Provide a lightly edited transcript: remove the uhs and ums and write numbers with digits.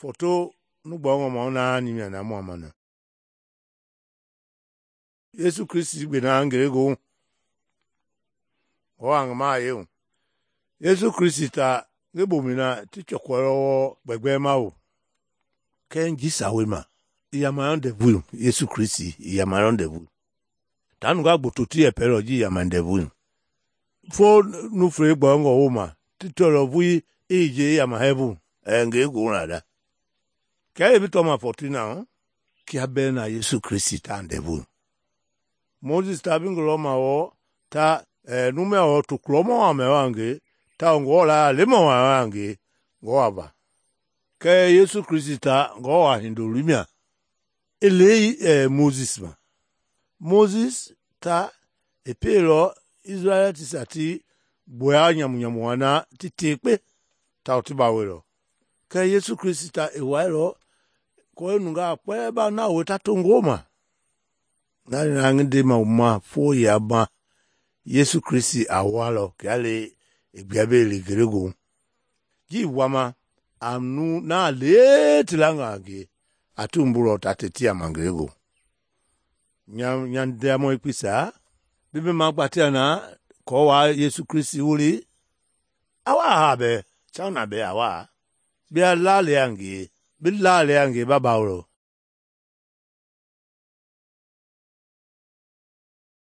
Foto nugbɔngɔ ma naani mia na mua mana. Yesu Kristi gbena ngelegoohu. O a ngi maa yeu. Yesu Kristi ta ngi bomina ti chɔkɔlɔ wɔɔ gbɛgbɛma o. Kɛɛ nji sawei ma, i yamayɔ ndɛvui Yesu Kristi i yamayɔ ndɛvui. Ta nungaa gboto ti yɛpɛlɔ ji i yama ndɛvui. Fo nuflei gbɔngɔ wooma ti tɔlɔ vui i je i yama hɛɛvu ngelegoohu la da. Kɛɛ bi tɔma 14 na kia bɛɛ na Yesu Kristi ta ndɛvui. Moses ta bi ngi lɔma wɔɔ ta numɛ wɔɔ to kulɔmɔ wa mɛ wa nge ta Ngewɔ la lemɔ wa nge Ngewɔ va. Kɛɛ Yesu Kristi ta Ngewɔ a hindoloi mia i lei Moses ma. Moses ta i peelɔ Israɛlitisia ti gboya nyamu-nyamu wa na ti tekpe tawao ti bawelɔ. Kɛɛ Yesu Kristi ta i wailɔ kɔɔ nungaa kpɛlɛɛ ba na woe ta to Ngewɔ ma. Na na ngi ndema wu ma fo ya ma Yesu Kristi a walɔ kia le i gbia be le ngelegoohu. Ji wama a nu na le ti langa nge a ti wumbulɔ ta te ti yama ngelegoohu. Nya ndiamɔ ikpisa bi be ma gbatia na kɔɔ wa Yesu Kristi wuli a wa ha bɛ, chang na bɛ a wa. Bia la le nge, bi la le nge ba bawolɔ.